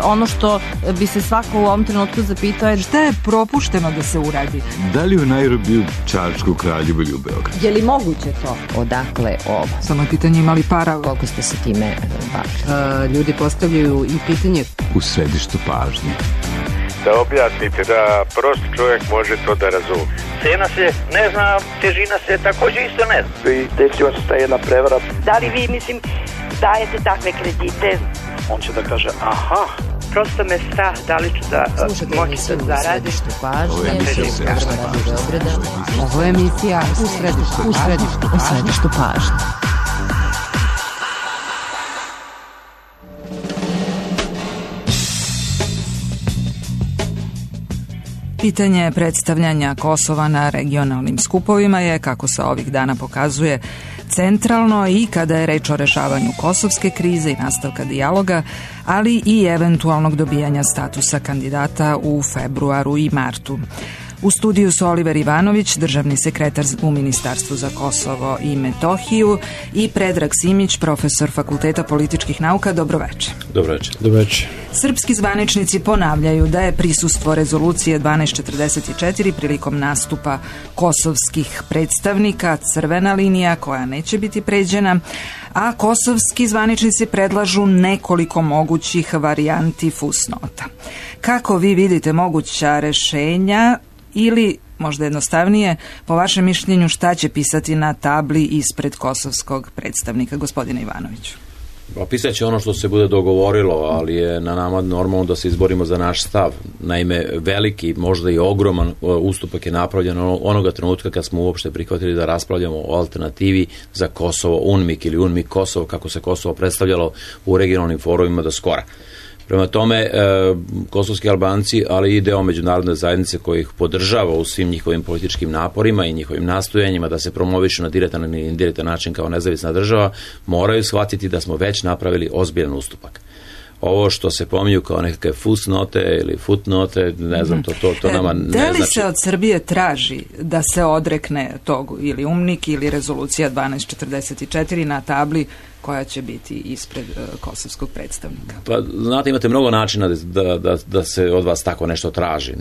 ono što bi se svako u ovom trenutku zapitao je šta je propušteno da se uradi. Da li u Nairobiju, Čačku, Kraljevu ili u Beogradu? Je li moguće to? Odakle ovo? Samo je pitanje imali para. Koliko ste se time bavili? Ljudi postavljaju i pitanje U središtu pažnje. Da objasnite, da prosti čovjek može to da razumije. Cena se ne zna, težina se također isto ne zna. I desila se ta jedna prevara. Da li vi, dajete takve kredite? On će da kaže, aha. Prosto me strah, da li ću da moći da zaradim. Ovo je emisija U središtu pažnje. Pitanje predstavljanja Kosova na regionalnim skupovima je, kako se ovih dana pokazuje, centralno i kada je reč o rešavanju kosovske krize i nastavka dijaloga, ali i eventualnog dobijanja statusa kandidata u februaru i martu. U studiju su Oliver Ivanović, državni sekretar u Ministarstvu za Kosovo i Metohiju, i Predrag Simić, profesor Fakulteta političkih nauka. Dobroveče. Dobroveče. Srpski zvaničnici ponavljaju da je prisustvo rezolucije 1244 prilikom nastupa kosovskih predstavnika crvena linija koja neće biti pređena, a kosovski zvaničnici predlažu nekoliko mogućih varijanti fusnota. Kako vi vidite moguća rešenja, ili možda jednostavnije, po vašem mišljenju, šta će pisati na tabli ispred kosovskog predstavnika, gospodine Ivanoviću? Pisat će ono što se bude dogovorilo, ali je na nama normalno da se izborimo za naš stav. Naime, veliki, možda i ogroman ustupak je napravljen onoga trenutka kad smo uopšte prihvatili da raspravljamo o alternativi za Kosovo, UNMIK ili UNMIK Kosovo, kako se Kosovo predstavljalo u regionalnim forumima do skora. Prema tome, kosovski Albanci, ali i deo međunarodne zajednice koji ih podržava u svim njihovim političkim naporima i njihovim nastojanjima da se promovišu na direktan ili indirektan način kao nezavisna država, moraju shvatiti da smo već napravili ozbiljan ustupak. Ovo što se pominju kao nekakve fusnote ili footnote, ne znam, to nama ne znači. Da li se od Srbije traži da se odrekne tog ili UNMIK ili rezolucija 1244 na tabli koja će biti ispred kosovskog predstavnika? Pa, znate, imate mnogo načina da se od vas tako nešto traži.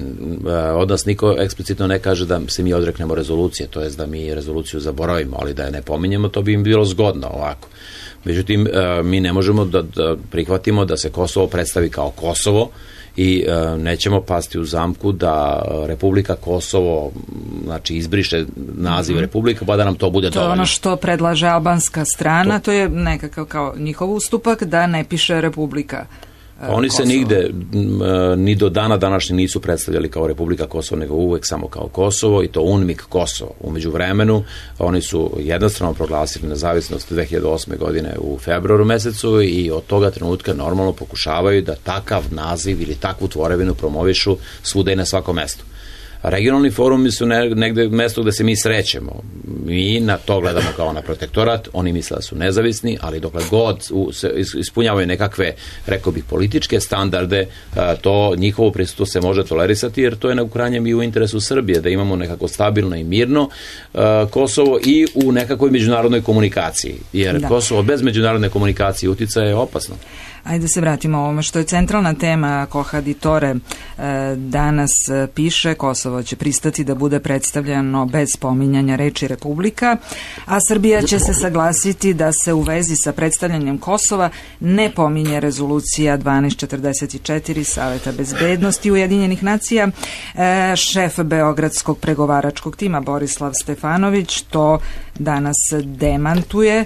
Od nas niko eksplicitno ne kaže da se mi odreknemo rezolucije, to jest da mi rezoluciju zaboravimo, ali da je ne pominjemo, to bi im bilo zgodno ovako. Međutim, mi ne možemo da prihvatimo da se Kosovo predstavi kao Kosovo i nećemo pasti u zamku da Republika Kosovo, znači, izbriše naziv Republika, pa da nam to bude dovoljno. To je ono što predlaže albanska strana, to je nekakav kao njihov ustupak da ne piše Republika Oni Kosovo. Se nigde ni do dana današnji nisu predstavljali kao Republika Kosovo, nego uvek samo kao Kosovo, i to UNMIK Kosovo. U međuvremenu oni su jednostrano proglasili nezavisnost 2008. godine u februaru mesecu i od toga trenutka normalno pokušavaju da takav naziv ili takvu tvorevinu promovišu svuda i na svakom mestu. Regionalni forumi su negde mesto gde se mi srećemo. Mi na to gledamo kao na protektorat, oni misle da su nezavisni, ali dokle god ispunjavaju nekakve, rekao bih, političke standarde, to njihovo prisustvo se može tolerisati, jer to je u krajnjem i u interesu Srbije, da imamo nekako stabilno i mirno Kosovo i u nekakvoj međunarodnoj komunikaciji. Jer Kosovo bez međunarodne komunikacije uticaja je opasno. Ajde se vratimo ovome što je centralna tema. Kohaditore danas piše: Kosovo će pristati da bude predstavljeno bez spominjanja reči Republika, a Srbija će se saglasiti da se u vezi sa predstavljanjem Kosova ne pominje rezolucija 1244 Saveta bezbednosti Ujedinjenih nacija. Šef Beogradskog pregovaračkog tima Borislav Stefanović to danas demantuje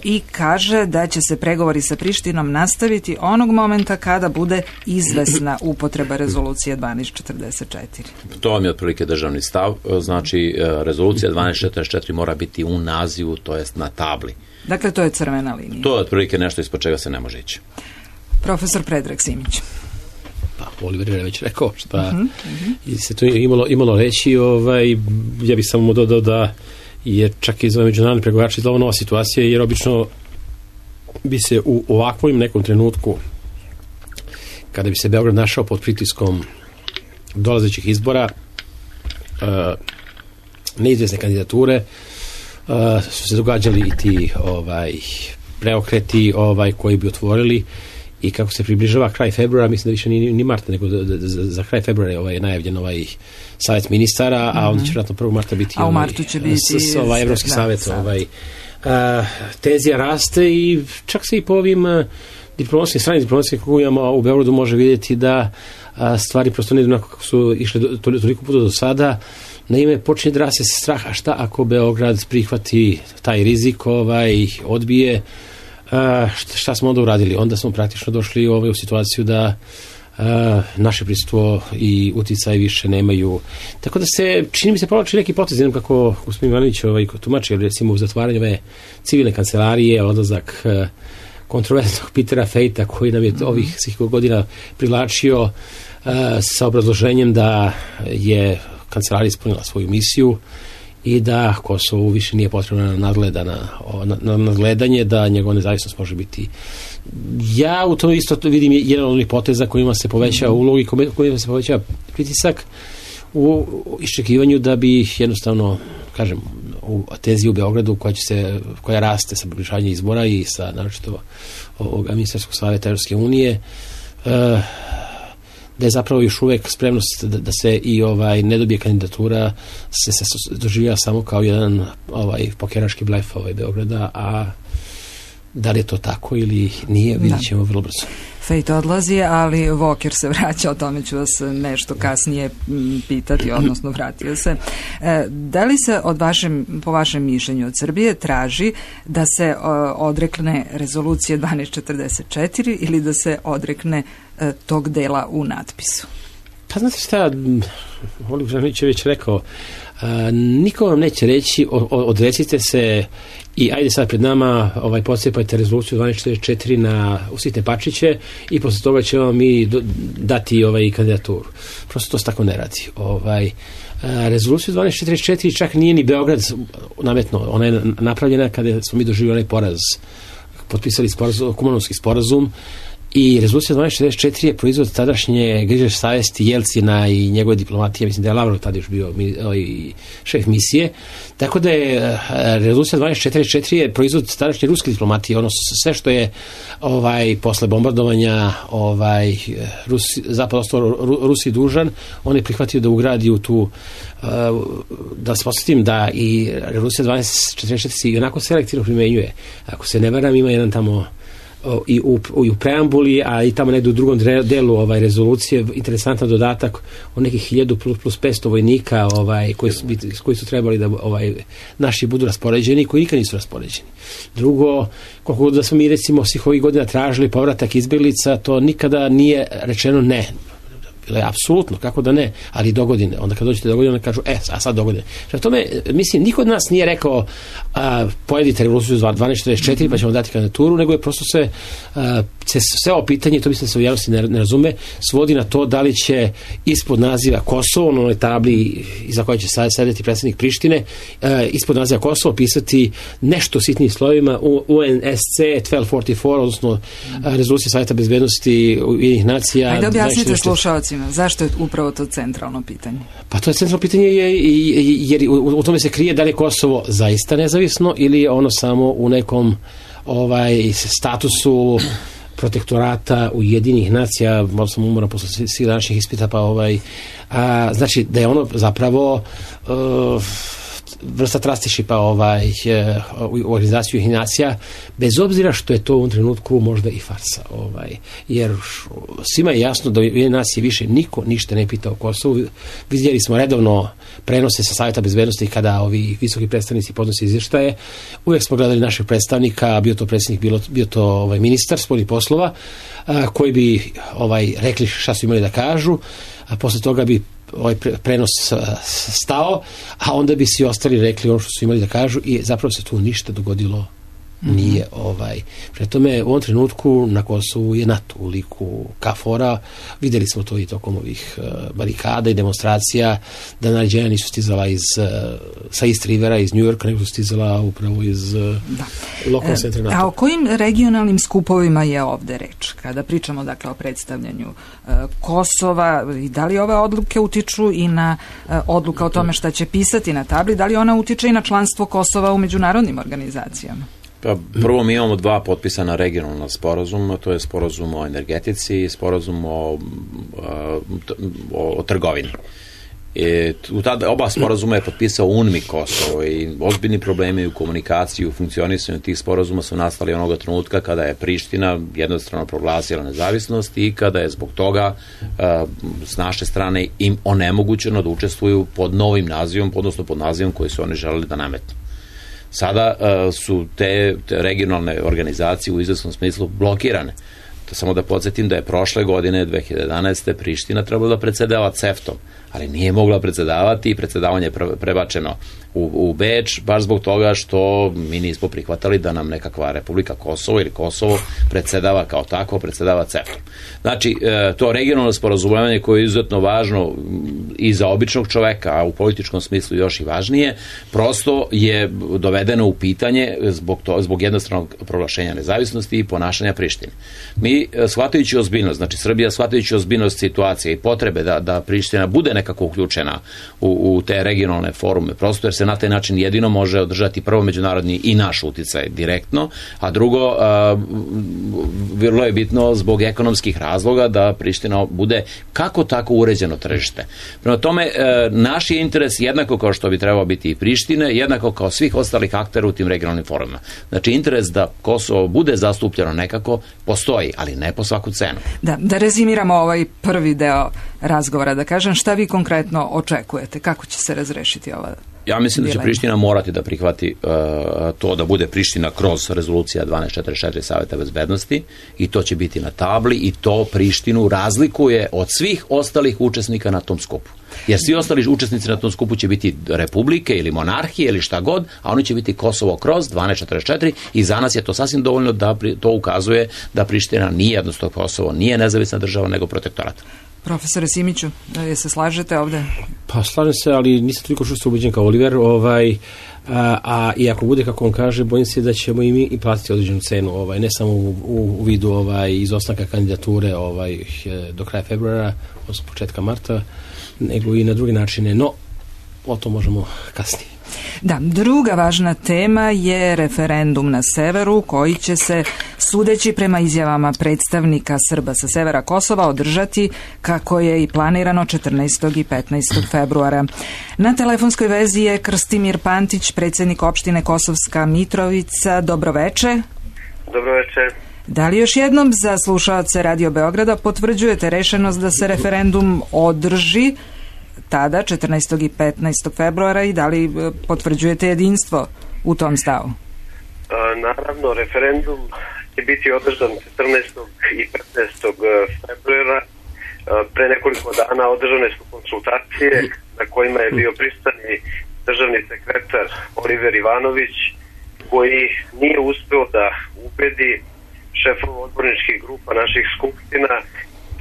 i kaže da će se pregovori sa Prištinom nastaviti onog momenta kada bude izvesna upotreba rezolucije 1244. To vam je otprilike državni stav. Znači, rezolucija 1244 mora biti u nazivu, to jest na tabli. Dakle, to je crvena linija. To je otprilike nešto ispod čega se ne može ići. Profesor Predrag Simić. Pa, Oliver je već rekao šta se tu imalo reći. Ja bih samo dodao da je čak i za međunarodni pregovarači izgleda nova situacija, jer obično bi se u ovakvom nekom trenutku, kada bi se Beograd našao pod pritiskom dolazećih izbora, neizvjesne kandidature, su se događali i ti preokreti koji bi otvorili i kako se približava kraj februara, mislim da više ni marta, nego za kraj februara je najavljen savjet ministara, a onda će vjerojatno 1. marta biti u martu će biti Evropski savjet. Tenzija raste i čak se i po ovim stranim diplomatskim krugovima u Beogradu može vidjeti da stvari prosto ne idu onako kako su išle toliko puta do sada. Naime, počinje da raste strah, a šta ako Beograd prihvati taj rizik, odbije, šta smo onda uradili? Onda smo praktično došli u situaciju da naše prisustvo i uticaj više nemaju. Tako da čini mi se povlači neki potez, jednom kako gospodin Ivanović tumači, recimo u zatvaranju ove civilne kancelarije, odlazak kontroverznog Petera Fejta koji nam je ovih svih godina privlačio sa obrazloženjem da je kancelarija ispunila svoju misiju i da Kosovo više nije potrebno nadgledanje, da njegova nezavisnost može biti. Ja u tome isto vidim jedan od onih poteza kojima se poveća ulog i kojima se poveća pritisak u iščekivanju da bi jednostavno, kažem, u tenziji u Beogradu koja raste sa približavanjem izbora i sa naročito ovog ministarskog savjeta Evropske unije, da je zapravo još uvek spremnost da se i ne dobije kandidatura se doživljava samo kao jedan pokeraški blef Beograda, a da li je to tako ili nije, vidjet ćemo vrlo brzo. Fejt odlazi, ali Walker se vraća, o tome ću vas nešto kasnije pitati, odnosno vratio se. Da li se po vašem mišljenju od Srbije traži da se odrekne rezolucije 1244 ili da se odrekne tog dela u natpisu? Pa znate šta, Oliver Žanić je već rekao, niko vam neće reći odrecite se i ajde sad pred nama podsjepajte rezoluciju 1244 u sitne pačiće i posle toga će vam mi dati kandidaturu. Prosto to se tako ne radi. Rezoluciju 1244 čak nije ni Beograd nametno, ona je napravljena kada smo mi doživjeli onaj poraz, potpisali Kumanovski sporazum. I rezolucija 1244 je proizvod tadašnje grižeš savesti Jelcina i njegove diplomatije, mislim da je Lavrov tada još bio šef misije, tako da je rezolucija 1244 je proizvod tadašnje ruske diplomatije, ono sve što je posle bombardovanja zapad ostao Rusiji dužan, on je prihvatio da ugradi u tu, da se posjetim da i rezolucija 1244 se i onako selektivno primenjuje. Ako se ne varam, ima jedan tamo i u preambuli, a i tamo negdje u drugom delu rezolucije interesantan dodatak o nekih 1000 plus 500 vojnika koji su trebali da naši budu raspoređeni i koji nikad nisu raspoređeni. Drugo, koliko da smo mi recimo svih ovih godina tražili povratak izbjeglica, to nikada nije rečeno ne. Bilo je apsolutno, kako da ne, ali dogodine. Onda kad dođete dogodine, onda kažu, a sad dogodine. Što tome, mislim, niko od nas nije rekao pojedite revoluciju 1244 pa ćemo dati kandidaturu, nego je prosto sve ovo pitanje, to mislim da se u javnosti ne razume, svodi na to da li će ispod naziva Kosovo, na onoj tabli iza koje će sedeti predsjednik Prištine, ispod naziva Kosovo pisati nešto sitnim slovima UNSC 1244, odnosno rezolucija Savjeta bezbednosti Ujedinjenih nacija. Ajde objasnite slušalcima, zašto je upravo to centralno pitanje? Pa to je centralno pitanje jer u tome se krije da li je Kosovo zaista nezavisno ili je ono samo u nekom statusu protektorata Ujedinjenih nacija, malo sam umoran posle svih današnjih ispita, znači da je ono zapravo vrsta trusteeshipa u organizaciju Ujedinjenih nacija, bez obzira što je to u ovom trenutku možda i farsa. Jer svima je jasno da Ujedinjene nacije više niko ništa ne pita o Kosovu. Vidjeli smo redovno prenose sa Savjeta bezbednosti kada ovi visoki predstavnici podnose izvještaje. Uvijek smo gledali našeg predstavnika, bio to predsjednik, bio to ministar spoljnih poslova, koji bi rekli šta su imali da kažu, a posle toga bi prenos stao, a onda bi svi ostali rekli ono što su imali da kažu i zapravo se tu ništa dogodilo nije. Pre tome u ovom trenutku na Kosovu je NATO u liku KFOR-a, vidjeli smo to i tokom ovih barikada i demonstracija, da naređenja nisu stizala sa East Rivera, iz New Yorka, nego su stizala upravo iz lokalnog centra NATO. A o kojim regionalnim skupovima je ovde reč? Kada pričamo dakle o predstavljanju Kosova, i da li ove odluke utiču i na odluka o tome šta će pisati na tabli, da li ona utiče i na članstvo Kosova u međunarodnim organizacijama? Pa, prvo mi imamo 2 potpisana regionalna sporazuma, to je sporazum o energetici i sporazum o trgovini. U oba sporazuma je potpisao UNMIK Kosovo i ozbiljni problemi u komunikaciji, u funkcionisanju tih sporazuma su nastali onoga trenutka kada je Priština jednostrano proglasila nezavisnost i kada je zbog toga s naše strane im onemogućeno da učestvuju pod novim nazivom, odnosno pod nazivom koji su oni želeli da nametnu. Sada su te regionalne organizacije u izvesnom smislu blokirane. Samo da podsjetim da je prošle godine, 2011. Priština trebala da predsedava CEFTA-om, ali nije mogla predsedavati i predsedavanje je prebačeno u Beč, baš zbog toga što mi nismo prihvatali da nam nekakva Republika Kosovo ili Kosovo predsedava kao tako, predsedava CEFTA. Znači, to regionalno sporazumevanje koje je izuzetno važno i za običnog čoveka, a u političkom smislu još i važnije, prosto je dovedeno u pitanje zbog jednostranog proglašenja nezavisnosti i ponašanja Prištine. Mi, shvatajući ozbiljnost, znači Srbija shvatajući ozbiljnost situacije i potrebe da Priština bude nekako uključena u te regionalne forume, prosto jer se na taj način jedino može održati prvo međunarodni i naš uticaj direktno, a drugo, vrlo je bitno zbog ekonomskih razloga da Priština bude kako tako uređeno tržište. Prema tome, naš je interes jednako kao što bi trebao biti i Prištine, jednako kao svih ostalih aktera u tim regionalnim forumima. Znači, interes da Kosovo bude zastupljeno nekako postoji, ali ne po svaku cenu. Da rezimiramo ovaj prvi deo razgovora, da kažem, šta vi konkretno očekujete? Kako će se razrešiti ova? Ja mislim da će Priština morati da prihvati to da bude Priština kroz rezolucija 1244 Saveta bezbednosti i to će biti na tabli i to Prištinu razlikuje od svih ostalih učesnika na tom skupu. Jer svi ostali učesnici na tom skupu će biti republike ili monarhije ili šta god, a oni će biti Kosovo kroz 1244 i za nas je to sasvim dovoljno da to ukazuje da Priština nije jednostavno Kosovo, nije nezavisna država nego protektorat. Profesore Simiću, je se slažete ovde? Pa slažem se, ali nisam toliko čusto ubeđen kao Oliver, i ako bude kako on kaže, bojim se da ćemo i mi i platiti određenu cenu, ne samo u vidu izostanka kandidature do kraja februara, odnosno početka marta, nego i na druge načine, no o to možemo kasnije. Da, druga važna tema je referendum na severu koji će se, sudeći prema izjavama predstavnika Srba sa severa Kosova, održati kako je i planirano 14. i 15. februara. Na telefonskoj vezi je Krstimir Pantić, predsjednik opštine Kosovska Mitrovica. Dobroveče. Dobroveče. Da li još jednom za slušaoce Radio Beograda potvrđujete rešenost da se referendum održi tada, 14. i 15. februara i da li potvrđujete jedinstvo u tom stavu? Naravno, referendum će biti održan 14. i 15. februara. Pre nekoliko dana održane su konsultacije na kojima je bio prisutan i državni sekretar Oliver Ivanović, koji nije uspeo da ubedi šefova odborničkih grupa naših skupština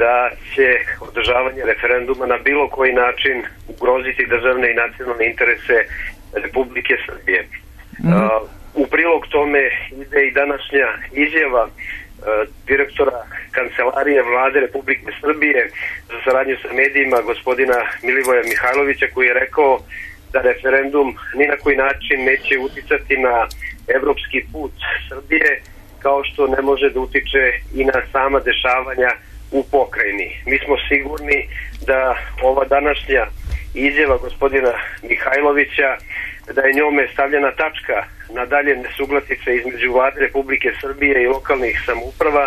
da će održavanje referenduma na bilo koji način ugroziti državne i nacionalne interese Republike Srbije. U prilog tome ide i današnja izjava direktora Kancelarije Vlade Republike Srbije za saradnju sa medijima, gospodina Milivoja Mihajlovića, koji je rekao da referendum ni na koji način neće uticati na evropski put Srbije, kao što ne može da utiče i na sama dešavanja u pokrajini. Mi smo sigurni da ova današnja izjava gospodina Mihajlovića, da je njome stavljena tačka na dalje nesuglasice između Vlade Republike Srbije i lokalnih samouprava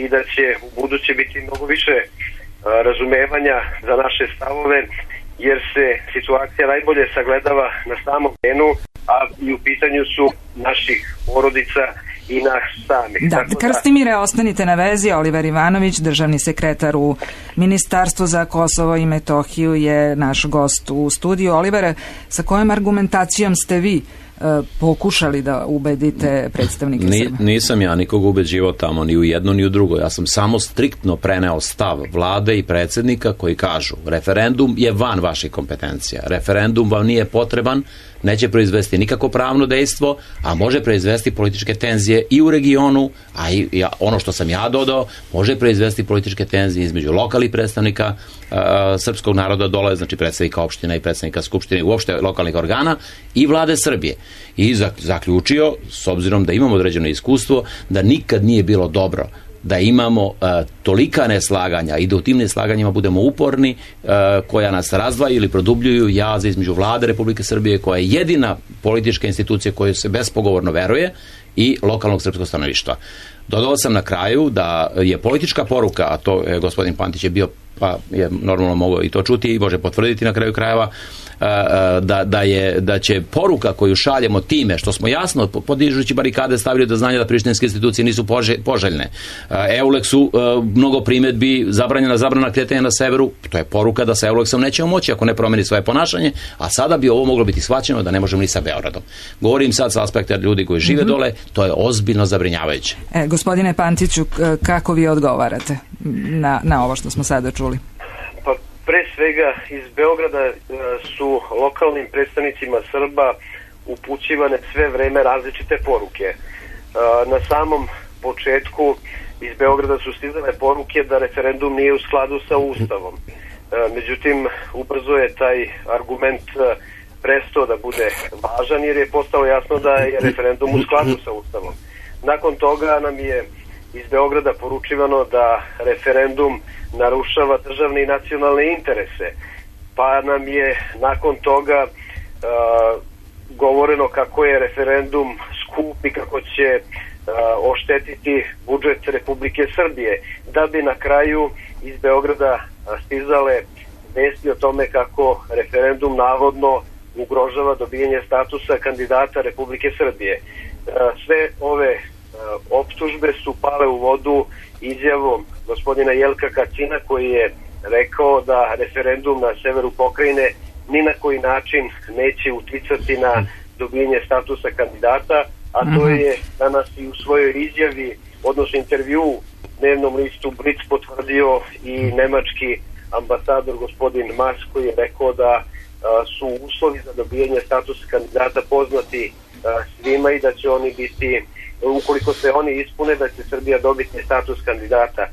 i da će u buduće biti mnogo više razumevanja za naše stavove, jer se situacija najbolje sagledava na samom terenu, a i u pitanju su naših porodica i nas samih. Da, Krstimire, ostanite na vezi. Oliver Ivanović, državni sekretar u Ministarstvu za Kosovo i Metohiju, je naš gost u studiju. Olivere, sa kojom argumentacijom ste vi pokušali da ubedite predstavnike Srba? Nisam ja nikog ubeđivao tamo, ni u jedno ni u drugo. Ja sam samo striktno preneo stav vlade i predsjednika koji kažu referendum je van vaših kompetencija. Referendum vam nije potreban, neće proizvesti nikako pravno dejstvo, a može proizvesti političke tenzije i u regionu, a i ono što sam ja dodao, može proizvesti političke tenzije između lokalnih predstavnika srpskog naroda dole, znači predstavnika opština i predstavnika skupštine, uopšte lokalnih organa i vlade Srbije. I zaključio, s obzirom da imamo određeno iskustvo, da nikad nije bilo dobro da imamo tolika neslaganja i da u tim neslaganjima budemo uporni, koja nas razdvaju ili produbljuju jaze između Vlade Republike Srbije, koja je jedina politička institucija koju se bespogovorno veruje, i lokalnog srpskog stanovništva. Dodao sam na kraju da je politička poruka, a to je gospodin Pantić je bio, pa je normalno mogao i to čuti i može potvrditi na kraju krajeva, da će poruka koju šaljemo time što smo jasno podižući barikade stavili do znanja da prištinske institucije nisu poželjne. Euleksu mnogo primjedbi, zabrana kretanja na severu, to je poruka da sa Euleksom nećemo moći ako ne promeni svoje ponašanje, a sada bi ovo moglo biti shvaćeno da ne možemo ni sa Beogradom. Govorim sad sa aspekta ljudi koji žive dole, to je ozbiljno zabrinjavajuće. Gospodine Pantiću, kako vi odgovarate na ovo što smo sada čuli? Pa pre svega iz Beograda su lokalnim predstavnicima Srba upućivane sve vreme različite poruke. Na samom početku iz Beograda su stizale poruke da referendum nije u skladu sa Ustavom. Međutim, ubrzo je taj argument prestao da bude važan jer je postalo jasno da je referendum u skladu sa Ustavom. Nakon toga nam je iz Beograda poručivano da referendum narušava državne i nacionalne interese, pa nam je nakon toga govoreno kako je referendum skup i kako će oštetiti budžet Republike Srbije, da bi na kraju iz Beograda stizale vesti o tome kako referendum navodno ugrožava dobijanje statusa kandidata Republike Srbije. Sve ove optužbe su pale u vodu izjavom gospodina Jelka Kacina, koji je rekao da referendum na severu pokrajine ni na koji način neće uticati na dobijanje statusa kandidata, a to je danas i u svojoj izjavi, odnosno intervju dnevnom listu Blic potvrdio i nemački ambasador gospodin Mas, koji je rekao da su uslovi za dobijanje statusa kandidata poznati svima i da će oni biti, ukoliko se oni ispune, da će Srbija dobiti status kandidata.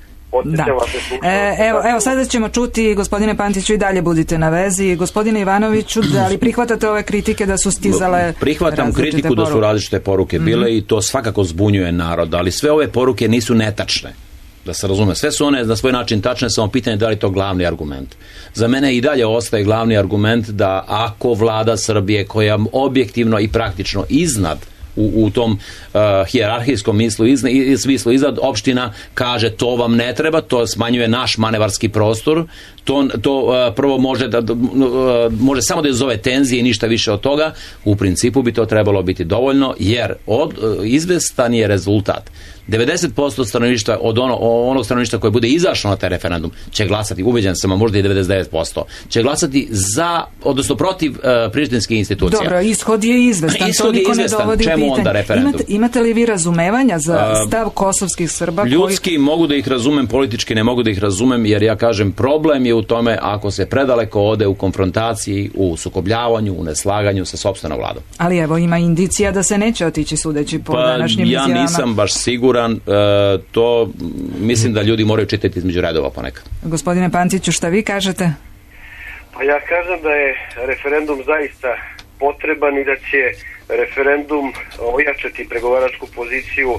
Evo sada ćemo čuti, gospodine Pantiću, i dalje budite na vezi. Gospodine Ivanoviću, da li prihvatate ove kritike da su stizale? Prihvatam kritiku da su različite poruke bile i to svakako zbunjuje narod, ali sve ove poruke nisu netačne. Da se razume, sve su one na svoj način tačne, samo pitanje da li je to glavni argument. Za mene i dalje ostaje glavni argument da ako vlada Srbije, koja objektivno i praktično iznad u tom hijerarhijskom smislu iznad opština, kaže to vam ne treba, to smanjuje naš manevarski prostor, to prvo može samo da izazove tenzije i ništa više od toga. U principu bi to trebalo biti dovoljno, jer izvestan je rezultat. 90% stanovništva od onog stanovništva koje bude izašlo na taj referendum će glasati, ubeđen sam, a možda i 99%, će glasati za, odnosno protiv prištinskih institucija. Dobro, ishod je izvestan, to niko ne dovodi čemu pitanje. Onda referendum? Imate li vi razumevanja za stav kosovskih Srba? Ljudski mogu da ih razumem, politički ne mogu da ih razumem, jer ja kažem, problem je u tome ako se predaleko ode u konfrontaciji, u sukobljavanju, u neslaganju sa sopstvenom vladom. Ali evo, ima indicija da se neće otići sudeći po današnjim izjavama. Ja nisam baš siguran, to mislim da ljudi moraju čitati između redova ponekad. Gospodine Pantiću, šta vi kažete? Pa ja kažem da je referendum zaista potreban i da će referendum ojačati pregovaračku poziciju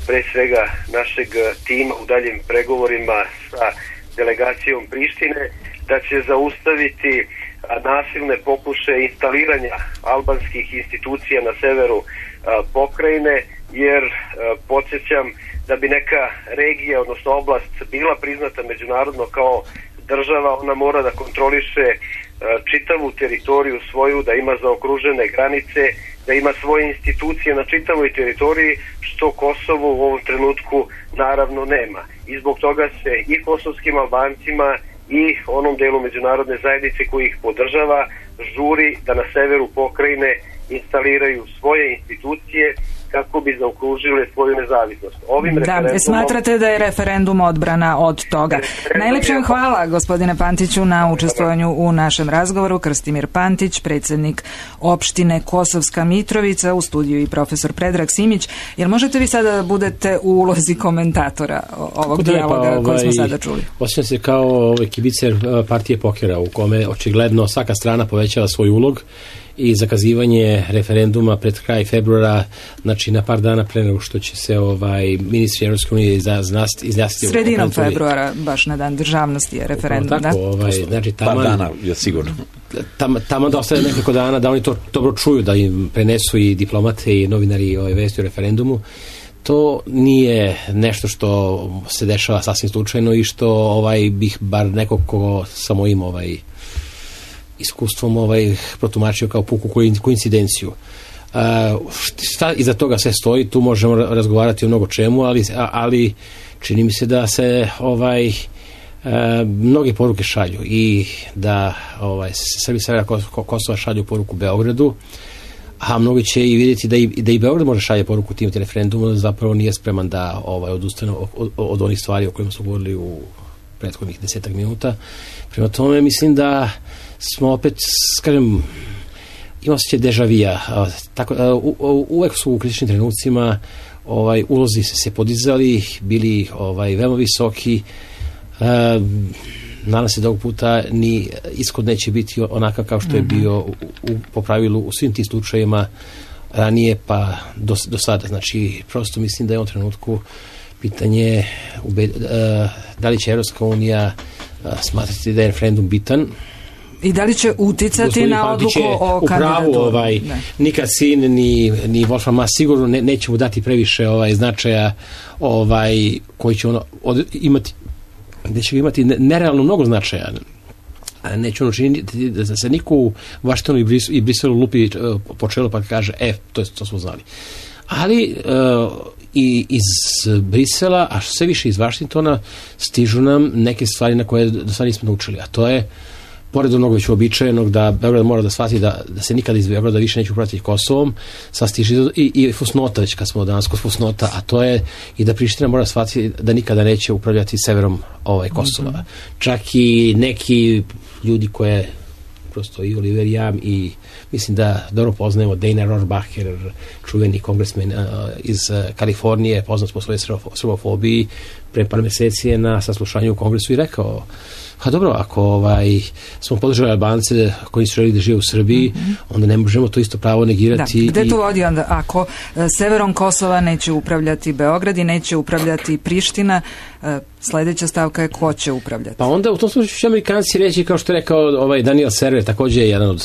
pre svega našeg tima u daljim pregovorima sa delegacijom Prištine, da će zaustaviti nasilne pokušaje instaliranja albanskih institucija na severu pokrajine, jer podsjećam da bi neka regija, odnosno oblast, bila priznata međunarodno kao država, ona mora da kontroliše čitavu teritoriju svoju, da ima zaokružene granice, da ima svoje institucije na čitavoj teritoriji, što Kosovo u ovom trenutku naravno nema. I zbog toga se i kosovskim Albancima i onom delu međunarodne zajednice koji ih podržava žuri da na severu pokrajine instaliraju svoje institucije kako bi zaokružile svoju nezavisnost. Smatrate da je referendum odbrana od toga. Najlepše vam hvala, gospodine Pantiću, na učestvovanju u našem razgovoru. Krstimir Pantić, predsjednik opštine Kosovska Mitrovica, u studiju i profesor Predrag Simić. Jel možete vi sada da budete u ulozi komentatora ovog dijaloga koji smo sada čuli? Osjećam se kao kibicer partije pokera u kome očigledno svaka strana povećava svoj ulog i zakazivanje referenduma pred kraj februara, znači na par dana pre nego što će se ministri Evropske unije izjasniti. Sredinom februara, baš na dan državnosti je referendum, tako, znači par dana je sigurno. Tamo da ostane nekoliko dana, da oni to dobro čuju, da im prenesu i diplomate i novinari vesti o referendumu. To nije nešto što se dešava sasvim slučajno i što bih bar nekog ko sa mojim iskustvom protumačio kao puku koincidenciju. Šta iza toga sve stoji, tu možemo razgovarati o mnogo čemu, ali čini mi se da se mnoge poruke šalju i da Srbi Severa Kosova šalju poruku Beogradu, a mnogi će i vidjeti da i Beograd može šalje poruku tim referendumu, da zapravo nije spreman da odustane od onih stvari o kojima smo govorili u prethodnih 10 minuta. Prema tome mislim da smo opet, kažem, ima osjećaj dežavija. Uvek su u kritičnim trenucima ulozi se podizali, bili veoma visoki. Nadam se da ovog puta ni ishod neće biti onakav kao što je bio po pravilu u svim tim slučajima ranije pa do sada. Znači, prosto mislim da je u ovom trenutku pitanje da li će Evropska unija smatrati da je referendum bitan. I da li će uticati na odluku o kandidatu? Nikad sin ni Wolfram Maas sigurno neće mu dati previše značaja koji će imati, gde će imati nerealno mnogo značaja. Neće ono činiti da se niko u Vašingtonu i Briselu lupi po čelu pa kaže to smo znali. Ali i iz Brisela, a sve više iz Vašingtona stižu nam neke stvari na koje do sada nismo naučili, a to je pored onog već uobičajenog da Beograd mora da shvati da se nikada iz Beograda više neće upravljati Kosovom, sad stiže i fusnota, već kad smo danas kod fusnota, a to je i da Priština mora shvatiti da nikada neće upravljati severom Kosova. Čak i neki ljudi koje prosto i Oliver Jam i mislim da dobro poznajemo Dana Rohrabacher, čuveni kongresmen iz Kalifornije, poznat po svojoj srbofobiji, pre par meseci je na saslušanju u kongresu i rekao dobro, ako smo podržali Albance koji su želi da žive u Srbiji, onda ne možemo to isto pravo negirati. Gde to vodi onda? Ako severom Kosova neće upravljati Beograd i neće upravljati Priština, sledeća stavka je ko će upravljati? Pa onda u tom slučaju će Amerikanci reći, kao što je rekao Daniel Server, također je jedan od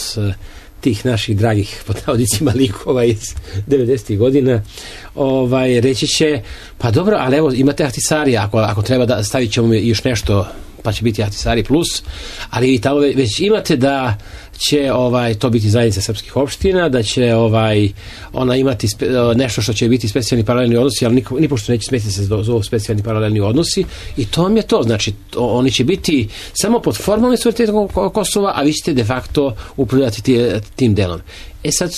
tih naših dragih pod navodnicima likova iz 90. godina, reći će, pa dobro, ali evo imate Ahtisari, ako treba da stavit ćemo još nešto, pa će biti Ahtisari plus, ali tamo već imate da će to biti zajednica srpskih opština, da će ona imati nešto što će biti specijalni paralelni odnosi, ali nipošto neće smetiti se zovu specijalni paralelni odnosi i to vam je to. Znači, oni će biti samo pod formalnim suverenitetom Kosova, a vi ćete de facto upravljati tim delom. Sad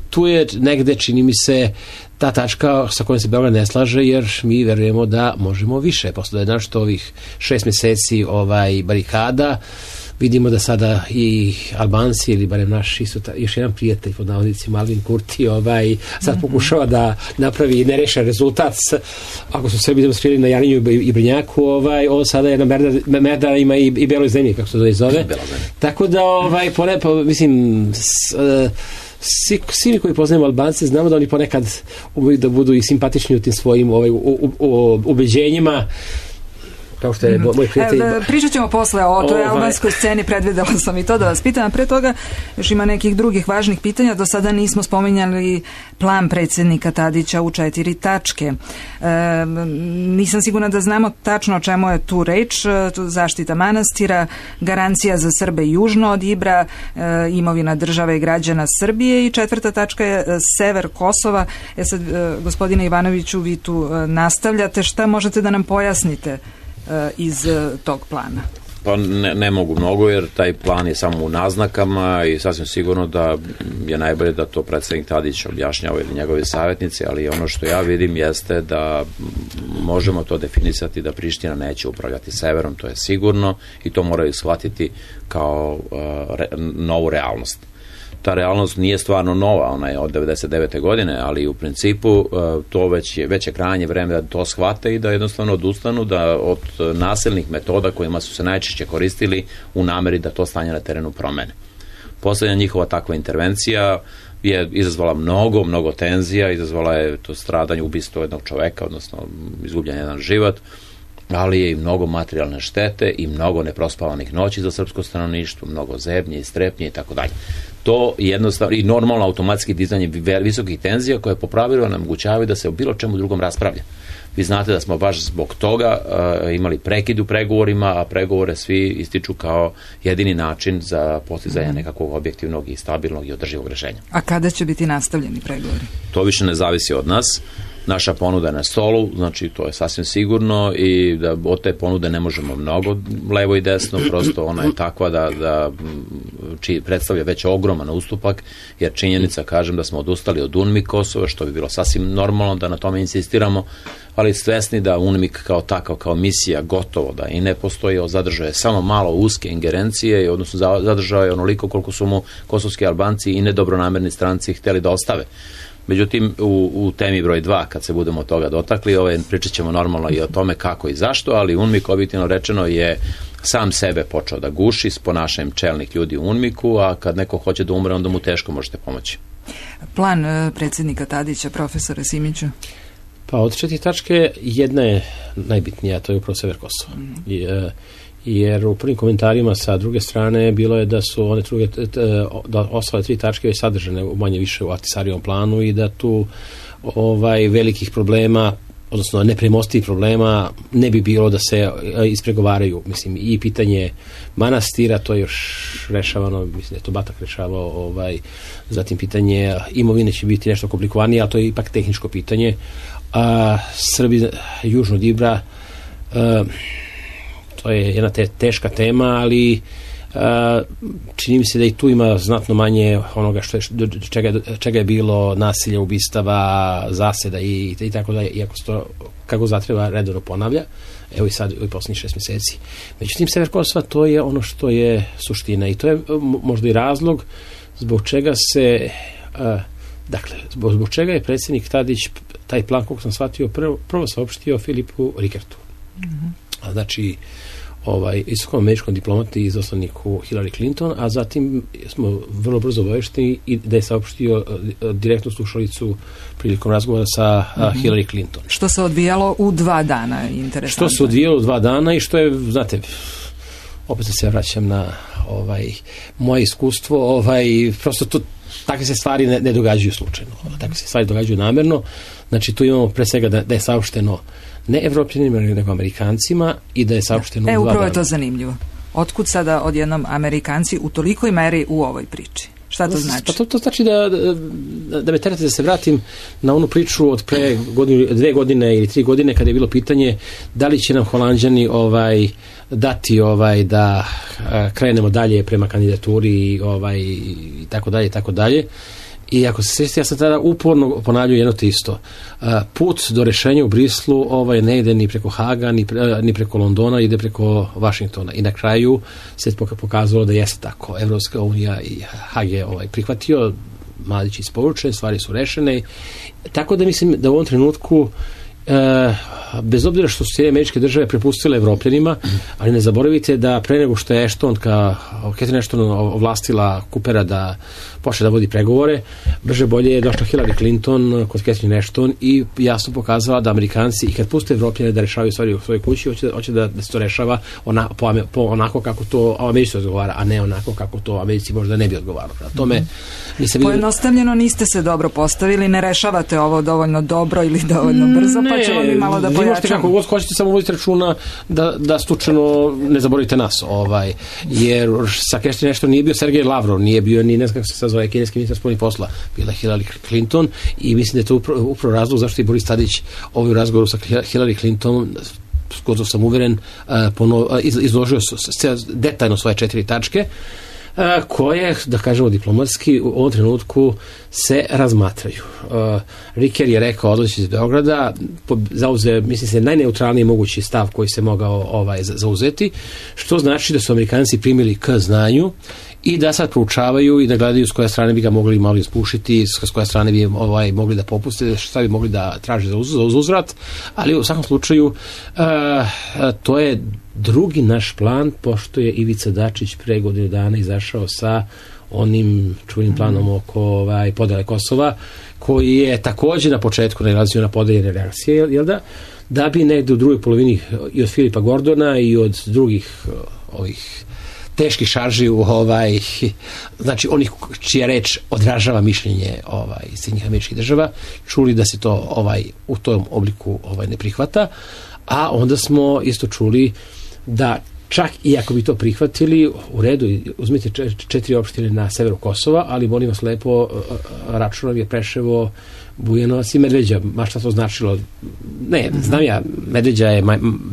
tu je negde, čini mi se, ta tačka sa kojom se Beograd ne slaže, jer mi verujemo da možemo više. Posle da je našto ovih 6 meseci barikada, vidimo da sada i Albanci, ili barem naš još jedan prijatelj pod navodnicima Alvin Kurti sad pokušava da napravi nerešen rezultat. Ako su Srbi demonstrirali na Jarinju i Brnjaku, on sada je na Merdara ima i Beloj zemlji, kako se to zove. Tako da mislim svi koji poznajemo Albance znamo da oni ponekad umeju da budu i simpatični u tim svojim ubeđenjima, kao što je moj prijatelj. Pričat ćemo posle o toj albanskoj sceni, predvidela sam i to da vas pitam. Pre toga još ima nekih drugih važnih pitanja. Do sada nismo spominjali plan predsjednika Tadića u 4 tačke. Nisam sigurna da znamo tačno o čemu je tu reč. Zaštita manastira, garancija za Srbe južno od Ibra, imovina države i građana Srbije i 4. tačka je sever Kosova. Sad, gospodine Ivanoviću, vi tu nastavljate. Šta možete da nam pojasnite iz tog plana? Pa ne mogu mnogo, jer taj plan je samo u naznakama i sasvim sigurno da je najbolje da to predsjednik Tadić objašnjava ili njegovi savjetnici, ali ono što ja vidim jeste da možemo to definisati da Priština neće upravljati severom, to je sigurno i to moraju shvatiti kao novu realnost. Ta realnost nije stvarno nova, ona je od 99. godine, ali u principu to već je krajnje vreme da to shvate i da jednostavno odustanu od nasilnih metoda kojima su se najčešće koristili u nameri da to stanje na terenu promene. Poslednja njihova takva intervencija je izazvala mnogo tenzija, izazvala je to stradanje, ubistvo jednog čoveka, odnosno izgubljen jedan život, ali je i mnogo materijalne štete i mnogo neprospavanih noći za srpsko stanovništvo, mnogo zebnje i strepnje i tako dalje. To jednostavno i normalno automatski dizanje visokih tenzija koje po pravilu omogućavaju da se o bilo čemu drugom raspravlja. Vi znate da smo baš zbog toga imali prekid u pregovorima, a pregovore svi ističu kao jedini način za postizanje nekakvog objektivnog i stabilnog i održivog rešenja. A kada će biti nastavljeni pregovori? To više ne zavisi od nas. Naša ponuda je na stolu, znači to je sasvim sigurno i da od te ponude ne možemo mnogo levo i desno, prosto ona je takva da predstavlja već ogroman ustupak, jer činjenica, kažem, da smo odustali od UNMIK Kosova, što bi bilo sasvim normalno da na tome insistiramo, ali svesni da UNMIK kao takav, kao misija gotovo da i ne postoji, zadržao je samo malo uske ingerencije, odnosno zadržao je onoliko koliko su mu kosovski Albanci i nedobronamerni stranci hteli da ostave. Međutim, u temi broj 2, kad se budemo toga dotakli, pričat ćemo normalno i o tome kako i zašto, ali UNMIK, objektivno rečeno, je sam sebe počeo da guši s ponašanjem čelnih ljudi u UNMIK-u, a kad neko hoće da umre, onda mu teško možete pomoći. Plan predsjednika Tadića, profesora Simiću? Pa od 4 tačke jedna je najbitnija, to je upravo sever Kosova. Jer u prvim komentarima sa druge strane bilo je da su one ostale 3 tačke već sadržane manje više u Ahtisarijevom planu i da tu velikih problema, odnosno nepremostivih problema ne bi bilo da se ispregovaraju. Mislim, i pitanje manastira, to je još rešavano, mislim da je to Batak rešavao, zatim pitanje imovine će biti nešto komplikovanije, ali to je ipak tehničko pitanje. Srbi južno od Ibra, to je jedna teška tema, ali čini mi se da i tu ima znatno manje onoga čega je bilo nasilja, ubistava, zaseda i tako da, iako se to kako zatreba redovno ponavlja, evo i sad u posljednjih 6 mjeseci. Međutim, sever Kosova, to je ono što je suština i to je možda i razlog zbog čega se zbog čega je predsjednik Tadić taj plan, kako sam shvatio, prvo saopštio Filipu Rikertu. Znači, visokom američkom diplomati i izaslaniku Hillary Clinton, a zatim smo vrlo brzo obavešteni i da je saopštio direktnu slušalicu prilikom razgovora sa Hillary Clinton. Što se odvijalo u 2 dana, interesantno. Što se odvijalo u 2 dana i što je, znate, opet se vraćam na moje iskustvo, prosto to, takve se stvari ne događaju slučajno, takve se stvari događaju namerno. Znači, tu imamo pre svega da je saopšteno ne Evropljanima, nego Amerikancima i da je saopšteno u 2 dana. Upravo je to zanimljivo. Otkud sada odjednom Amerikanci u tolikoj meri u ovoj priči? Šta to znači? Pa to znači da me terate da se vratim na onu priču od pre 2 godine ili 3 godine kada je bilo pitanje da li će nam Holanđani dati da krenemo dalje prema kandidaturi i tako dalje i tako dalje. I ako se sjećate, ja sam tada uporno ponavljao jedno te isto. Put do rešenja u Brislu ne ide ni preko Haga, ni preko Londona, ide preko Vašingtona. I na kraju se pokazalo da jeste tako. Evropska unija i Hag je prihvatio, Mladić isporučen, stvari su rešene. Tako da mislim da u ovom trenutku bez obzira što su Sjedinjene Američke Države prepustile Evropljanima, ali ne zaboravite da pre nego što je Catherine Ashton ovlastila Coopera da počne da vodi pregovore, brže bolje je došla Hillary Clinton kod Catherine Ashton i jasno pokazala da Amerikanci, i kad puste Evropljane da rešavaju stvari u svojoj kući, hoće da se to rešava onako kako to Americi odgovara, a ne onako kako to Americi možda ne bi odgovaralo. Pojednostavljeno niste se dobro postavili, ne rešavate ovo dovoljno dobro ili dovoljno brzo, pa ćemo mi malo da pojačamo. Vi možete kako god hoćete, samo vodite računa da slučajno ne zaboravite nas. Jer sa Catherine Ashton nije bio Sergej Lavrov, nije bio ni ne znam kako se zove kineski ministar spoljnih posla, bila Hillary Clinton i mislim da je to upravo razlog zašto je Boris Tadić u razgovoru sa Hillary Clinton, skoro sam uveren, izložio detaljno svoje 4 tačke koje, da kažemo diplomatski, u ovom trenutku se razmatraju. Riker je rekao odlazi iz Beograda, zauzeo, mislim se, najneutralniji mogući stav koji se mogao zauzeti, što znači da su Amerikanci primili k znanju i da sad proučavaju i da gledaju s koje strane bi ga mogli malo ispušiti, s koje strane bi mogli da popuste, šta bi mogli da traže za uzvrat, ali u svakom slučaju to je drugi naš plan, pošto je Ivica Dačić pre godinu dana izašao sa onim čuvenim planom oko podele Kosova, koji je takođe na početku nailazio na podeljene reakcije, jel da bi negde u drugoj polovini i od Filipa Gordona i od drugih ovih teških šarži znači onih čija reč odražava mišljenje Sjedinjenih Američkih Država, čuli da se to u tom obliku ne prihvata, a onda smo isto čuli da čak i ako bi to prihvatili, u redu, uzmite 4 opštine na severu Kosova, ali molim vas lepo, Računov je Preševo, Bujanovac i Medveđa, ma šta to značilo? Ne, znam ja, Medveđa je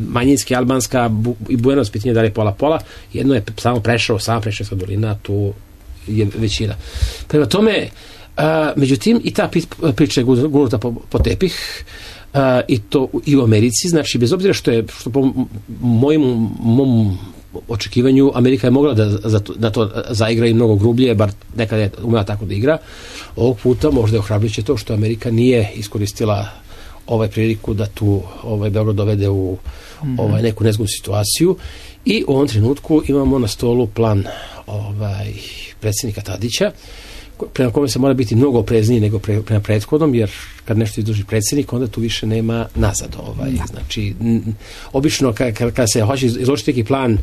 manjinski, albanska i Bujanovac, pitanje da li je pola-pola, jedno je samo Preševo, sama Preševska dolina, tu je većina. Prema tome, međutim, i ta priča je gurnuta po tepih, i to i u Americi, znači bez obzira što po mom očekivanju Amerika je mogla da to zaigra i mnogo grublje, bar nekada je umela tako da igra. Ovog puta možda je ohrabrujuće to što Amerika nije iskoristila priliku da tu Beograd dovede u neku nezgodnu situaciju i u ovom trenutku imamo na stolu plan predsjednika Tadića, prema kome se mora biti mnogo oprezniji nego prema prethodnom, jer kad nešto izloži predsjednik, onda tu više nema nazad. Znači, obično kada se hoće izložiti neki plan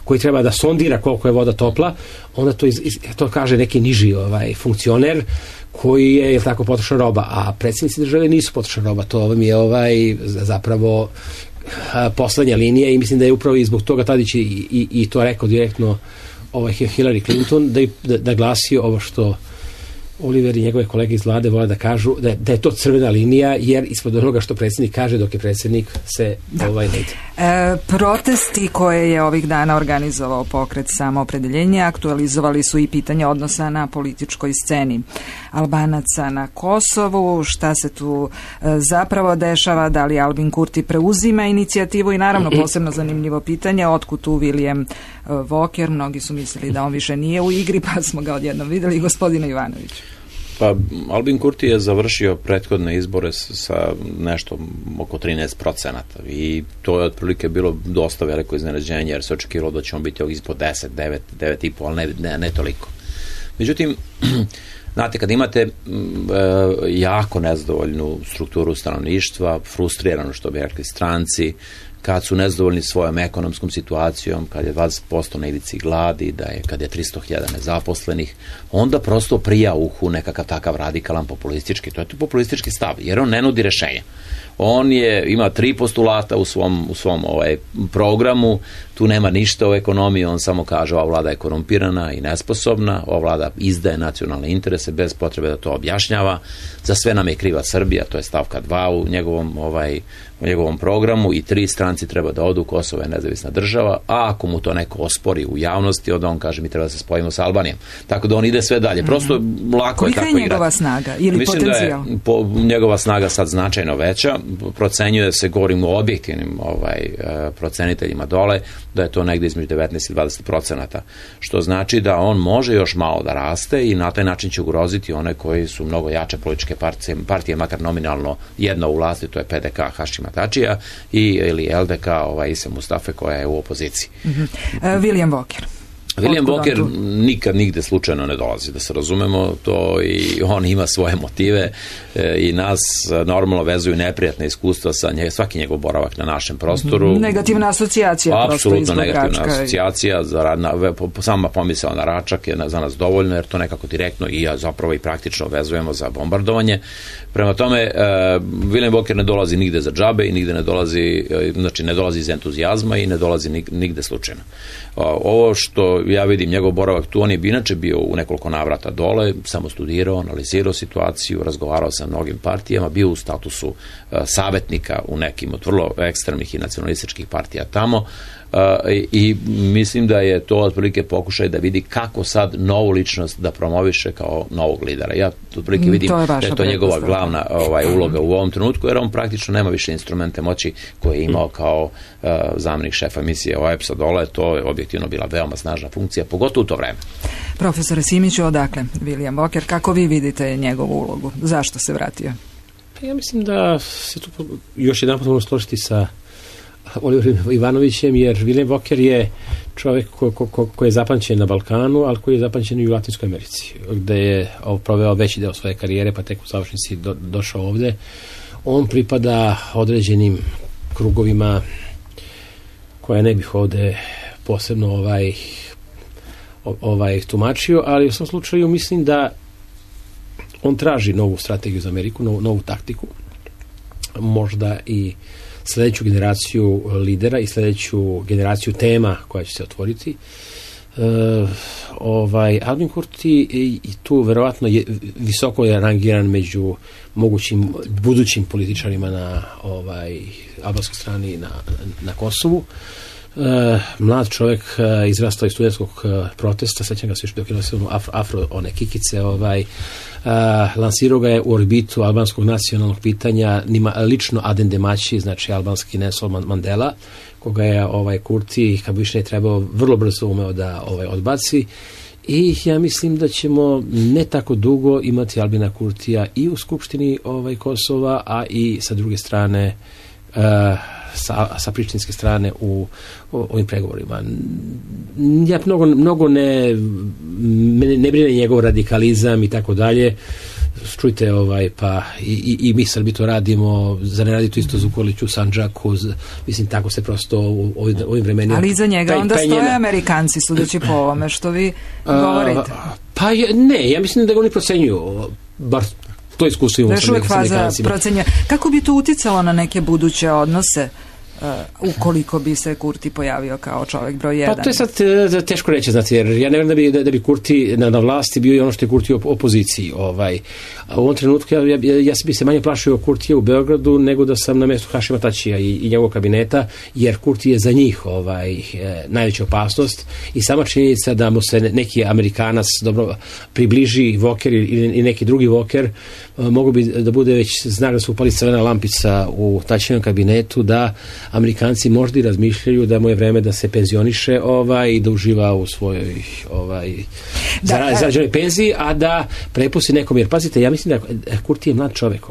koji treba da sondira koliko je voda topla, onda to kaže neki niži funkcioner koji je tako potrošna roba, a predsjednici države nisu potrošna roba. To vam je zapravo poslednja linija i mislim da je upravo i zbog toga Tadić i to rekao direktno Hillary Clinton, da glasi ovo što Oliver i njegove kolege iz vlade vole da kažu, da je to crvena linija, jer ispod onoga što predsjednik kaže dok je predsjednik se ne ide. Protesti koje je ovih dana organizovao pokret Samoopredeljenje aktualizovali su i pitanje odnosa na političkoj sceni Albanaca na Kosovu, šta se tu zapravo dešava, da li Albin Kurti preuzima inicijativu i naravno posebno zanimljivo pitanje, otkud tu William Walker, mnogi su mislili da on više nije u igri, pa smo ga odjednom videli. Gospodine Ivanović. Pa Albin Kurti je završio prethodne izbore sa nešto oko 13% i to je otprilike bilo dosta veliko iznenađenje, jer se očekivalo da će on biti ispod 10, 9,5, ali ne toliko. Međutim, znate, kad imate jako nezadovoljnu strukturu stanovništva, frustrirano, što bi rekli stranci, kad su nezadovoljni svojom ekonomskom situacijom, kad je 20% na ivici gladi, kad je 300.000 nezaposlenih, onda prosto prija uhu nekakav takav radikalan populistički, to je populistički stav, jer on ne nudi rešenja. On ima 3 postulata u svom programu, tu nema ništa o ekonomiji, on samo kaže ova vlada je korumpirana i nesposobna, ova vlada izdaje nacionalne interese bez potrebe da to objašnjava, za sve nam je kriva Srbija, to je stavka 2 u njegovom programu i 3 stranci treba da odu, Kosovo je nezavisna država, a ako mu to neko ospori u javnosti, onda on kaže mi treba da se spojimo sa Albanijom. Tako da on ide sve dalje. Prosto lako je tako igrati. Kolika je njegova snaga ili potencijal? Mislim da je njegova snaga sad značajno veća. Procenjuje se, govorim o objektivnim proceniteljima dole, da je to negde između 19 i 20%, što znači da on može još malo da raste i na taj način će ugroziti one koji su mnogo jače političke partije, makar nominalno jedna u vlasti, to je PDK Hašima Tačija ili LDK Ise Mustafe koja je u opoziciji. William Walker. William Walker nikad nigde slučajno ne dolazi, da se razumemo, to i on ima svoje motive i nas normalno vezuju neprijatne iskustva sa svaki njegov boravak na našem prostoru. Negativna asocijacija. Apsolutno negativna asocijacija, sama pomisao na Račak je za nas dovoljno, jer to nekako direktno i zapravo i praktično vezujemo za bombardovanje. Prema tome, William Walker ne dolazi nigde za džabe i nigde ne dolazi, znači ne dolazi iz entuzijazma i ne dolazi nigde slučajno. Ovo što ja vidim, njegov boravak tu, on je inače bio u nekoliko navrata dole, samo studirao, analizirao situaciju, razgovarao sa mnogim partijama, bio u statusu savjetnika u nekim od vrlo ekstremnih i nacionalističkih partija tamo, i mislim da je to otprilike pokušaj da vidi kako sad novu ličnost da promoviše kao novog lidera. Ja otprilike vidim da je to njegova glavna uloga u ovom trenutku, jer on praktično nema više instrumente moći koje je imao kao zamenik šefa emisije OEPS-a dole. To je objektivno bila veoma snažna funkcija, pogotovo u to vreme. Profesore Simiću, odakle William Walker, kako vi vidite njegovu ulogu? Zašto se vratio? Ja mislim da se tu još jedan put možemo složiti sa Oliverom Ivanovićem, jer Viljem Voker je čovjek koji je zapamćen na Balkanu, ali koji je zapamćen i u Latinskoj Americi, gde je proveo veći deo svoje karijere, pa tek u završnici došao ovde. On pripada određenim krugovima koje ne bih ovde posebno tumačio, ali u svom slučaju mislim da on traži novu strategiju za Ameriku, novu taktiku, možda i sljedeću generaciju lidera i sljedeću generaciju tema koja će se otvoriti. Albin Kurti i tu verovatno je visoko je rangiran među mogućim budućim političarima na albanskoj strani na Kosovu. Mlad čovjek izrastao iz studentskog protesta, sećam ga se još dok je nosio afro one kikice, lansirao ga je u orbitu albanskog nacionalnog pitanja, nima lično Adem Demaći, znači albanski Nelson Mandela, koga je Kurti, kad bi više ne trebao, vrlo brzo umeo da odbaci. I ja mislim da ćemo ne tako dugo imati Albina Kurtija i u Skupštini Kosova, a i sa druge strane sa prištinske strane u ovim pregovorima. Ja mnogo ne brine njegov radikalizam i tako dalje. Čujte, pa i mi Srbi to radimo, za ne raditi isto Zukorliću, Sandžaku, mislim, tako se prosto u ovim vremenima. Ali iza njega onda stoje Amerikanci, sudeći po ovome što vi govorite. Pa ne, ja mislim da ga oni procenjuju, bar to iskustvo imamo sa Amerikancima. Kako bi to uticalo na neke buduće odnose ukoliko bi se Kurti pojavio kao čovjek broj 1? Pa to je sad teško reći, znate, jer ja ne vjerujem da bi Kurti na vlasti bio i ono što je Kurti u opoziciji. U ovom trenutku ja bi se manje plašio Kurtija u Beogradu nego da sam na mjestu Hašima Tačija i njegovog kabineta, jer Kurti je za njih najveća opasnost i sama činjenica da mu se neki Amerikanac dobro približi, Voker i neki drugi Voker, mogu bi da bude već znak da se upali crvena lampica u Tačijevom kabinetu, da Amerikanci možda i razmišljaju da mu je vreme da se penzioniše i da uživa u svojoj zarađenoj penziji, a da prepusti nekom, jer pazite, ja mislim da Kurti je mlad čovjek,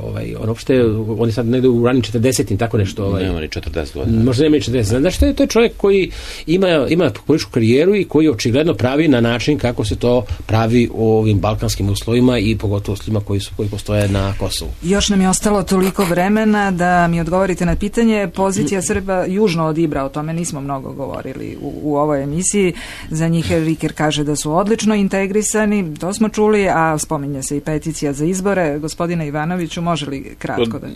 on je sad negdje u ranim 40-im, tako nešto. Nema ni 40 godina. Možda nema ni 40. Znači, to je čovjek koji ima političku karijeru i koji očigledno pravi na način kako se to pravi u ovim balkanskim uslovima i pogotovo uslovima koji postoje na Kosovu. Još nam je ostalo toliko vremena da mi odgovorite na pitanje. Pozicija Srba južno od Ibra, o tome nismo mnogo govorili u ovoj emisiji. Za njih Riker kaže da su odlično integrisani, to smo čuli, a spominje se i peticija za izbore. Gospodine Ivanoviću, može li kratko da...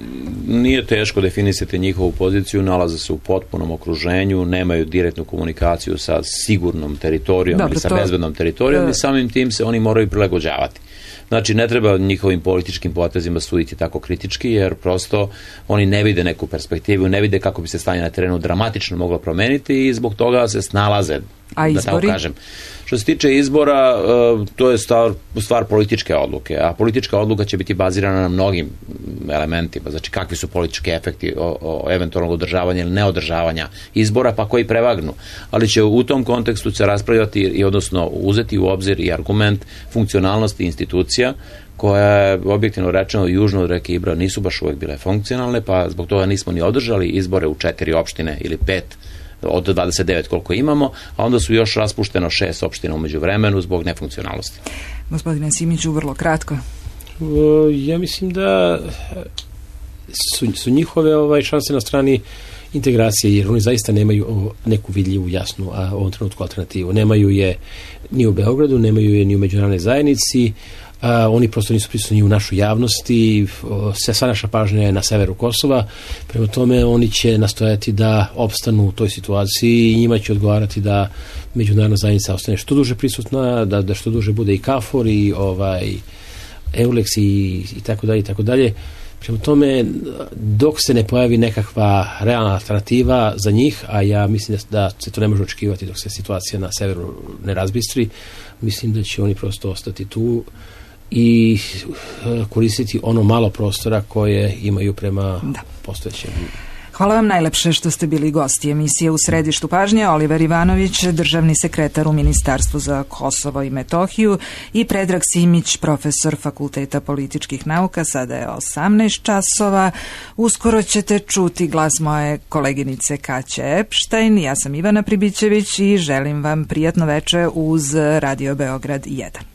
Nije teško definisati njihovu poziciju, nalaze se u potpunom okruženju, nemaju direktnu komunikaciju sa sigurnom teritorijom ili sa bezbednom teritorijom i samim tim se oni moraju prilagođavati. Znači, ne treba njihovim političkim potezima suditi tako kritički, jer prosto oni ne vide neku perspektivu, ne vide kako bi se stanje na terenu dramatično moglo promeniti i zbog toga se snalaze, da tako kažem. Što se tiče izbora, to je stvar političke odluke, a politička odluka će biti bazirana na mnogim elementima, znači kakvi su politički efekti eventualnog održavanja ili neodržavanja izbora, pa koji prevagnu. Ali će u tom kontekstu se raspravljati i odnosno uzeti u obzir i argument funkcionalnosti institucija, koje objektivno rečeno južno od reke Ibra nisu baš uvijek bile funkcionalne, pa zbog toga nismo ni održali izbore u 4 opštine ili 5 od 29 koliko imamo, a onda su još raspušteno 6 opština u međuvremenu zbog nefunkcionalnosti. Gospodine Simiću, vrlo kratko. Ja mislim da su njihove šanse na strani integracije, jer oni zaista nemaju neku vidljivu, jasnu, a u ovom trenutku alternativu. Nemaju je ni u Beogradu, nemaju je ni u međunarodnoj zajednici, oni prosto nisu prisutni u našoj javnosti, sva naša pažnja je na severu Kosova, prema tome oni će nastojati da opstanu u toj situaciji i njima će odgovarati da međunarodna zajednica ostane što duže prisutna, da što duže bude i KFOR i EULEX i tako dalje i tako dalje. Prema tome, dok se ne pojavi nekakva realna alternativa za njih, a ja mislim da se to ne može očekivati dok se situacija na severu ne razbistri, mislim da će oni prosto ostati tu i koristiti ono malo prostora koje imaju prema postojećem. Hvala vam najlepše što ste bili gosti emisije U središtu pažnje. Oliver Ivanović, državni sekretar u Ministarstvu za Kosovo i Metohiju, i Predrag Simić, profesor Fakulteta političkih nauka. Sada je 18 časova. Uskoro ćete čuti glas moje koleginice Kaće Epštajn. Ja sam Ivana Pribićević i želim vam prijatno veče uz Radio Beograd 1.